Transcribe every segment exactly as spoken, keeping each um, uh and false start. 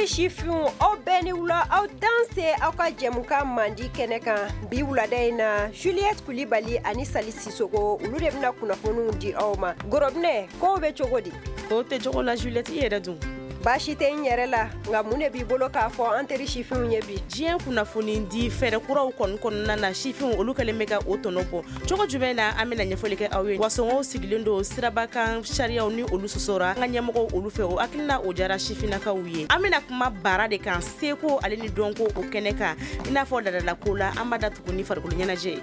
teri sifinw, aw bɛɛ ni wula, aw danse aw ka jɛmukan mandi kɛnɛ kan bi wulada in na. Juliette Kulibali ani Sali Sisoko, olu de bɛna kunnafoniw di aw ma. Gorobinɛ, kow bɛ cogo di? Kow tɛ cogo la Juliette, i yɛrɛ dun? Baasi tɛ n yɛrɛ la, nka mun de b'i bolo k'a fɔ an teri sifinw ye bi? Diɲɛ kunnafoni di fɛɛrɛ kuraw kɔni kɔnɔna na, sifinw olu kɛlen bɛ ka o tɔnɔ bɔ cogo jumɛn na? An bɛna ɲɛfɔli kɛ aw ye. Wa sɔngɔw sigilen don sirabakan sariyaw ni olu sɔsɔra an ka ɲɛmɔgɔw olu fɛ, o hakilina o diyara sifinnakaw ye. An bɛna kuma baara de kan, seko ale ni dɔnko o kɛnɛ kan, i n'a fɔ ladalako la, an b'a datugu ni farikolo ɲɛnajɛ ye.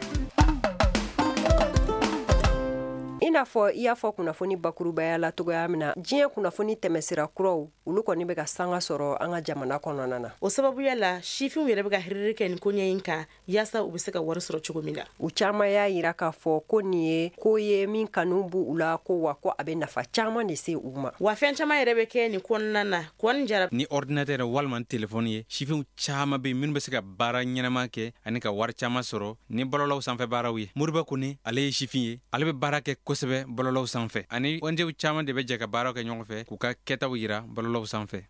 I n'a fɔ i y'a fɔ kunnafoni bakurubaya la cogoya min na, diɲɛ kunnafoni tɛmɛsira kuraw olu kɔni bɛ ka sanga sɔrɔ an ka jamana kɔnɔna na. O sababuya la, sifinw yɛrɛ bɛ ka hiriri kɛ nin koɲɛ in kan yaasa u bɛ se ka wari sɔrɔ cogo min na. U caman y'a yira k'a fɔ ko nin ye ko ye min kanu b'u la, ko wa ko a bɛ nafa caman de se u ma. Wa fɛn caman yɛrɛ bɛ kɛ nin kɔnɔna na. Kɔni jara ni ordinateur walima téléphone ye, sifinw caman bɛ minnu bɛ se ka baara ɲɛnama kɛ ani ka wari caman sɔrɔ ni bɔlɔlɔw sanfɛ baaraw ye. Moriba Kone, ale ye sifin ye, ale bɛ baara kɛ kosɛbɛ bɔlɔlɔw sanfɛ, ani O N G caman de bɛ jɛ ka baaraw kɛ ɲɔgɔn fɛ k'u ka kɛtaw yira bɔlɔlɔw sanfɛ.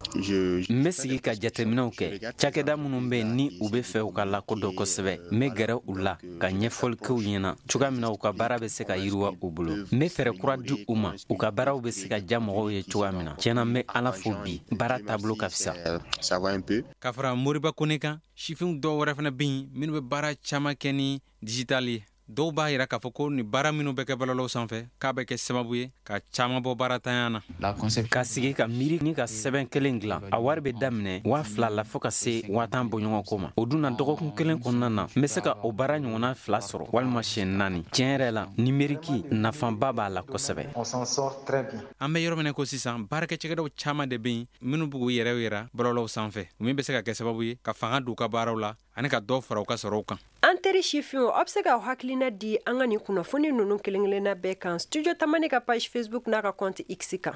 N bɛ sigi ka jateminɛw kɛ cakɛda minnu bɛ ni u bɛ fɛ u ka lakodɔn kosɛbɛ. N bɛ gɛrɛ u la ka ɲɛfɔli kɛ u ɲɛna cogoya min na u ka baara bɛ se ka yiriwa u bolo. N bɛ fɛɛrɛ kura di u ma, u ka baaraw bɛ se ka diya mɔgɔw ye cogoya min na. Tiɲɛna, n bɛ Ala fo, bi baara taabolo ka fisa. Ka fara Moriba Kone kan, sifinw dɔw wɛrɛ fana bɛ yen minnu bɛ baara caman kɛ ni digital ye. Dɔw b'a yira k'a fɔ ko ni baara minnu bɛ kɛ bɔlɔlɔw sanfɛ, k'a bɛ kɛ sababu ye ka caman bɔ baaratanya na. Ka sigi ka miiri ni ka sɛbɛn kelen dilan, a wari bɛ daminɛ waa fila la fo ka se waa tan bɔɲɔgɔnko ma. O dun na, dɔgɔkun kelen kɔnɔna na, n bɛ se ka o baara ɲɔgɔnna fila sɔrɔ walima siɲɛ naani. Tiɲɛ yɛrɛ la, numérique nafaba b'a la kosɛbɛ. An bɛ yɔrɔ min ko sisan, baarakɛ cɛkɛdaw caman de bɛ yen minnu b'u yɛrɛ yira bɔlɔlɔw sanfɛ, min bɛ se ka kɛ sababu ye ka fanga don u ka baaraw la ani ka dɔ fara u ka sɔrɔw kan. An teri sifinw, aw bɛ se k'aw hakilina di an ka nin kunnafoni ninnu kelen kelenna bɛɛ kan Studio Tamani ka page Facebook n'a ka compte X kan.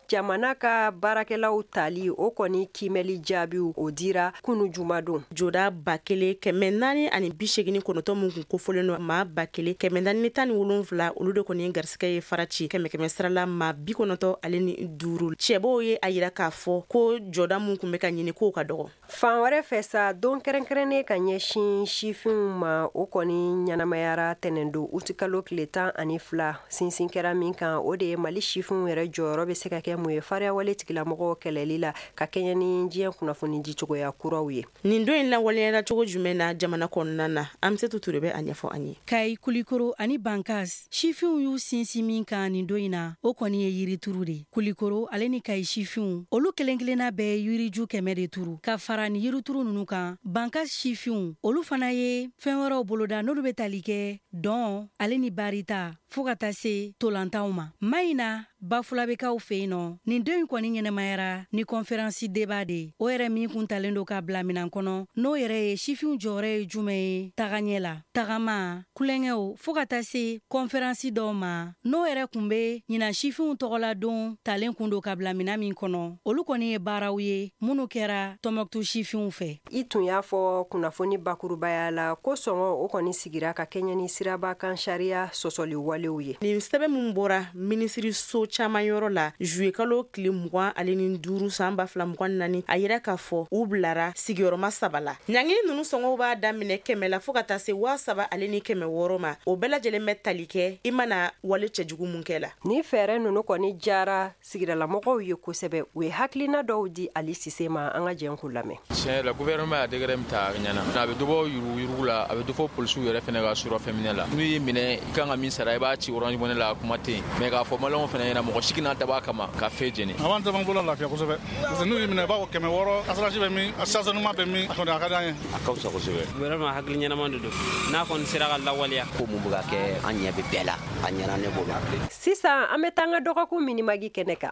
Jamana ka baarakɛlaw tali, o kɔni kiimɛli jaabiw o dira kunu jumadon. Joda ba kelen kɛmɛ naani ani bi segin kɔnɔntɔn min kun kofɔlen don, maa ba kelen kɛmɛ naani tan ni wolonwula, olu de kɔni ye garisɛgɛ ye fara ci kɛmɛ kɛmɛ sirala maa bi kɔnɔntɔn ale ni duuru. Cɛbaw ye a yira k'a fɔ ko jɔda min tun bɛ ka ɲini k'o ka dɔgɔ. Fan wɛrɛ fɛ sa, don kɛrɛnkɛrɛnnen ka ɲɛsin sifinw ma, o kɔni ɲɛnamayara tɛnɛndon utikalo tile tan ani fila. Sinsin kɛra min kan, o de ye Mali sifinw yɛrɛ jɔyɔrɔ bɛ se ka kɛ mun ye fariyawale tigilamɔgɔw kɛlɛli la ka kɛɲɛ ni diɲɛ kunnafoni di cogoya kuraw ye. Nin don in lawaleyara cogo jumɛn na jamana kɔnɔna na? An bɛ se Ture bɛ a ɲɛfɔ an ye. Kayi, Kulikoro ani Bankas sifinw y'u sinsin min kan nin don in na, o kɔni ye yirituru de. Kulikoro ale ni Kayi sifinw, olu kelen kelenna bɛɛ ye yiriju kɛmɛ de turu. Ka fara ni yirituru ninnu kan, Bankas sifinw olu fana ye fɛn wɛrɛw boloda, n'olu bɛ tali kɛ dɔn ale ni barita fɔɔ ka taa se tolantanw ma. Mayina Bafulabekaw fɛ yen nɔ, nin don in kɔni ɲɛnɛmayara ni conférence débat de, o yɛrɛ min kun talen don ka bila minan kɔnɔ, n'o yɛrɛ ye sifinw jɔyɔrɔ ye jumɛn ye tagaɲɛ la, tagama kulonkɛw, fɔɔ ka taa se conférence dɔw ma, n'o yɛrɛ kun be ɲinan sifinw tɔgɔla don talen kun don ka bila minan min kɔnɔ. Olu kɔni ye baaraw ye minnu kɛra Tɔnbɔkutu sifinw fɛ. I tun y'a fɔ kunnafoni bakurubaya la ko sɔngɔ o kɔni sigira ka kɛɲɛ ni siraba kan sariya sɔsɔli walew ye. Nin sɛbɛn min bɔra minisiriso caman yɔrɔ la juillet kalo tile mugan ale ni duuru san ba fila mugan naani, a yira k'a fɔ u bilara sigiyɔrɔma saba la. Ɲangini ninnu sɔngɔw b'a daminɛ kɛmɛ la fɔɔ ka taa se waa saba ale ni kɛmɛ wɔɔrɔ ma. O bɛɛ lajɛlen bɛ tali kɛ i mana wale cɛjugu mun kɛ la. Ni fɛɛrɛ ninnu kɔni jara sigidalamɔgɔw ye kosɛbɛ. U ye hakilina dɔw di Ali Sise ma, an ka jɛn k'u lamɛn. Tiɲɛ yɛrɛ la, gouvernement y'a décret min ta, a ɲɛna. A bɛ dɔ bɔ yuruguyurugu la, a bɛ dɔ fɔ polisiw yɛrɛ fɛnɛ ka surafɛn minɛ la. N'u y'i minɛ, i kan ka min sara, i b'a ci Orange Money la, kuma tɛ yen. Mais k'a fɔ maliyɛnw fɛnɛ ɲɛna, mɔgɔ si kana dabɔ a kama ka fɛn jeni. A b'an caman bolo lafiya kosɛbɛ, parce que n'u y'i minɛ, i b'a fɔ kɛmɛ wɔɔrɔ, assurance bɛ min, stationnement bɛ min, a kɔni a ka d'an ye. A ka fisa kosɛbɛ. Vraiment, hakili ɲɛnama de don n'a kɔni sera ka lawaleya. Ko mun bɛ ka kɛ, an ɲɛ bɛ bɛɛ la, a ɲɛna ne bolo. Sisan an bɛ taa an ka dɔgɔkun minimagi kɛnɛ kan.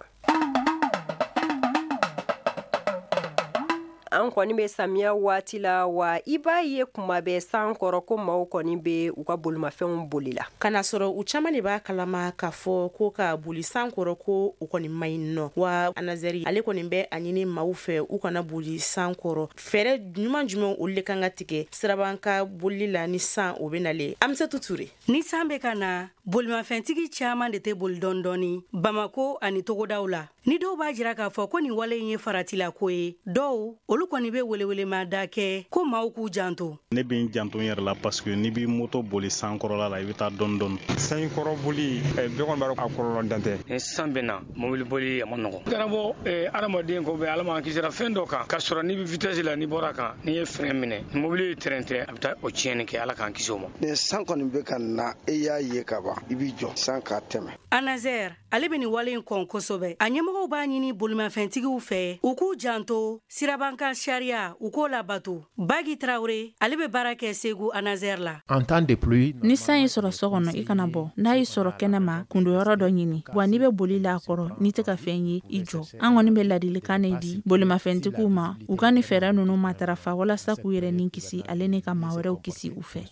An kɔni bɛ samiya waati la, wa i b'a ye kuma bɛɛ san kɔrɔ ko maaw kɔni bɛ u ka bolimafɛnw boli la. Ka na sɔrɔ u caman de b'a kalama k'a fɔ ko ka boli san kɔrɔ ko u kɔni ma ɲi nɔ. Wa ANASER ale kɔni bɛ a ɲini maaw fɛ u kana boli san kɔrɔ. Fɛɛrɛ ɲuman jumɛn olu de kan ka tigɛ siraban ka boli la ni san o bɛ nalen? Amisatu Ture. Ni san bɛ ka na, bolimafɛntigi caman de tɛ boli dɔɔni Bamako ani togodaw la. Ni dɔw b'a jira k'a fɔ ko nin wale in ye faratilako ye, dɔw olu kɔni bɛ welewelema da kɛ ko maaw k'u janto. Ne bɛ n janto n yɛrɛ la parce que n'i b'i moto boli san kɔrɔla la, i bɛ taa dɔɔni dɔɔni. San kɔrɔ boli, bɛɛ kɔni b'a dɔn a kɔlɔlɔ dan tɛ. Ni san bɛ na, mobili boli a ma nɔgɔn. Kana bɔ adamaden ko bɛ Ala m'an kisira fɛn dɔ kan, k'a sɔrɔ n'i bɛ vitesse la, n'i bɔra kan, n'i ye frein minɛ, mobili ye train tɛ, a bɛ taa o tiɲɛni kɛ. Ala k'an kisi o ma. Ni san kɔni bɛ ka na, e y'a ye ka ban, i b'i jɔ san k'a tɛmɛ. ANASER ale bɛ nin wale in kɔn kosɛbɛ. A ɲɛmɔgɔw b'a ɲini bolimafɛntigiw fɛ u k'u janto sirabankan sariya, u k'o labato. Bagi Tarawele ale bɛ baara kɛ Segu ANASER la. En temps de pluie, ni san y'i sɔrɔ so kɔnɔ, i kana bɔ. N'a y'i sɔrɔ kɛnɛma, kundoyɔrɔ dɔ ɲini. Wa n'i bɛ boli la a kɔrɔ, n'i tɛ ka fɛn ye, i jɔ. An kɔni bɛ ladilikan de di bolimafɛntigiw ma, u ka nin fɛɛrɛ ninnu matarafa walasa k'u yɛrɛ ni kisi ale ni ka maa wɛrɛw kisi u fɛ.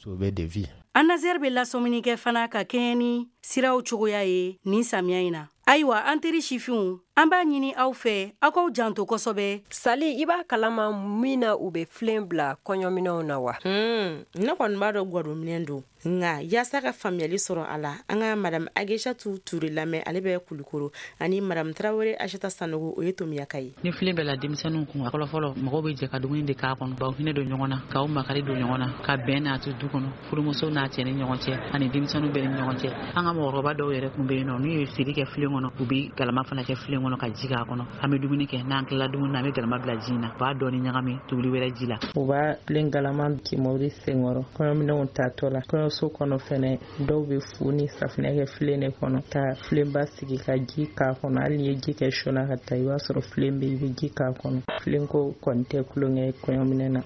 ANASER bɛ lasɔmini kɛ fana ka kɛɲɛ ni siraw cogoya ye nin samiya in na. Ayiwa, an teri sifinw, an b'a ɲini aw fɛ aw k'aw janto kosɛbɛ. Sali, i b'a kalama min na u bɛ filen bila kɔɲɔminɛnw na wa? Hmm, ne kɔni b'a dɔn gwadonminɛn don. Nka yaasa ka faamuyali sɔrɔ a la, an ka madame Agesatu Ture lamɛn, ale bɛ Kulukoro, ani madame Tarawele Asata Sanogo, o ye Tomiyaka ye. Ni filen bɛ la denmisɛnninw kun, a fɔlɔ fɔlɔ mɔgɔw bɛ jɛ ka dumuni de k'a kɔnɔ, k'aw hinɛ don ɲɔgɔn na, k'aw makari don ɲɔgɔn na, ka bɛn n'a to du kɔnɔ, furumuso n'a cɛ ni ɲɔgɔn cɛ, ani denmisɛnninw bɛɛ ni ɲɔgɔn cɛ. An ka mɔgɔkɔrɔba dɔw yɛrɛ kun bɛ yen nɔ, n'u ye siri kɛ filen kɔnɔ, u bɛ galama fana kɛ filen kɔnɔ ka ji k'a kɔnɔ. An bɛ dumuni kɛ, n'an tilala dumuni na, an bɛ galama bila ji in na, u b'a dɔɔni ɲagami tobili wɛrɛ ji la. U b'a filen galama kimori senkɔrɔ kɔɲɔminɛnw tatɔ la. Kɔɲɔso kɔnɔ fɛnɛ, dɔw bɛ fu ni safunɛ kɛ filen de kɔnɔ, ka filenba sigi ka ji k'a kɔnɔ. Hali n'i ye ji kɛ sɔ la ka taa, i b'a sɔrɔ filen bɛ, i bɛ ji k'a kɔnɔ. Filenko kɔni tɛ kulonkɛ kɔɲɔminɛn na.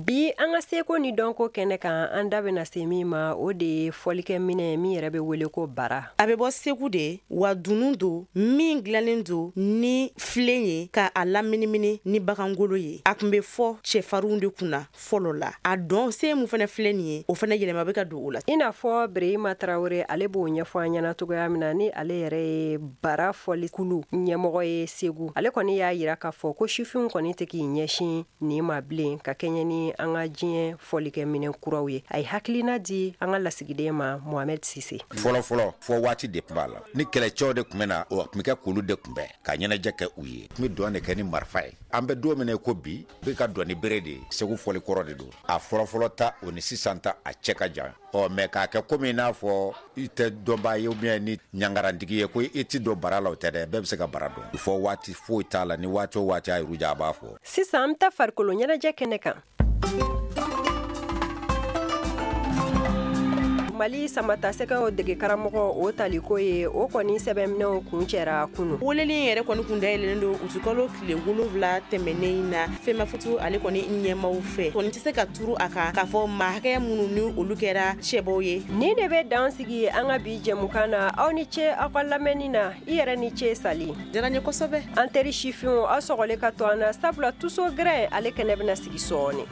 Bi an ka seko ni dɔnko kɛnɛ kan, an da bɛna se min ma, o de ye fɔlikɛminɛ min yɛrɛ bɛ wele ko bara. A bɛ bɔ Segu de, wa dunun don min dilannen don ni filen ye ka a laminimini ni bagangolo ye. A tun bɛ fɔ cɛfarinw de kunna fɔlɔ la. A dɔn se mun fana filɛ nin ye, o fana yɛlɛma bɛ ka don o la. I n'a fɔ Birehima Tarawele ale b'o ɲɛfɔ an ɲɛna cogoya min na, ni ale yɛrɛ ye bara fɔlikulu ɲɛmɔgɔ ye Segu. Ale kɔni y'a jira k'a fɔ ko sifinw kɔni tɛ k'i ɲɛsin nin ma bilen ka kɛɲɛ ni an ka diɲɛ fɔlikɛminɛ kuraw ye. A ye hakilina di an ka lasigiden ma Mohamed Sise. Fɔlɔ fɔlɔ, fɔ waati de tun b'a la, ni kɛlɛcɛw de tun bɛ na, o tun bɛ kɛ k'olu de kunbɛn ka ɲɛnajɛ kɛ u ye. Tun bɛ dɔn de kɛ ni marifa ye. An bɛ don min na ko bi, bɛ ka dɔn ni bere de ye. Segu fɔli kɔrɔ de don. A fɔlɔ fɔlɔ ta o ni sisan ta a cɛ ka jan. Ɔ mɛ k'a kɛ komi n'a fɔ i tɛ dɔnbaa ye ou bien ni ɲangarantigi ye ko i ti don bara la, o tɛ dɛ, bɛɛ bɛ se ka bara dɔn. Fɔ waati foyi t'a la, ni waati o waati a yɛrɛ ja a b'a fɔ. Sisan an bɛ taa farikolo ɲɛnajɛ kɛnɛ kan. Mali samatasɛgɛw dege karamɔgɔ o taliko ye, o kɔni sɛbɛnminɛw kun cɛra kunu. Weleli in yɛrɛ kɔni kun dayɛlɛlen don utukalo tile wolonwula tɛmɛnen in na FEMAFOOT ale kɔni ɲɛmaw fɛ. Kɔni tɛ se ka turu a kan k'a fɔ maa hakɛ minnu ni olu kɛra cɛbɔw ye. Nin de bɛ dan sigi an ka bi jɛmukan na. Aw ni ce aw ka lamɛnni na. I yɛrɛ ni ce Sali. Diyara n ye kosɛbɛ. An teri sifinw, aw sɔgɔlen ka to an na, sabula tuso gɛrɛ ale kɛnɛ bɛna sigi sɔɔni.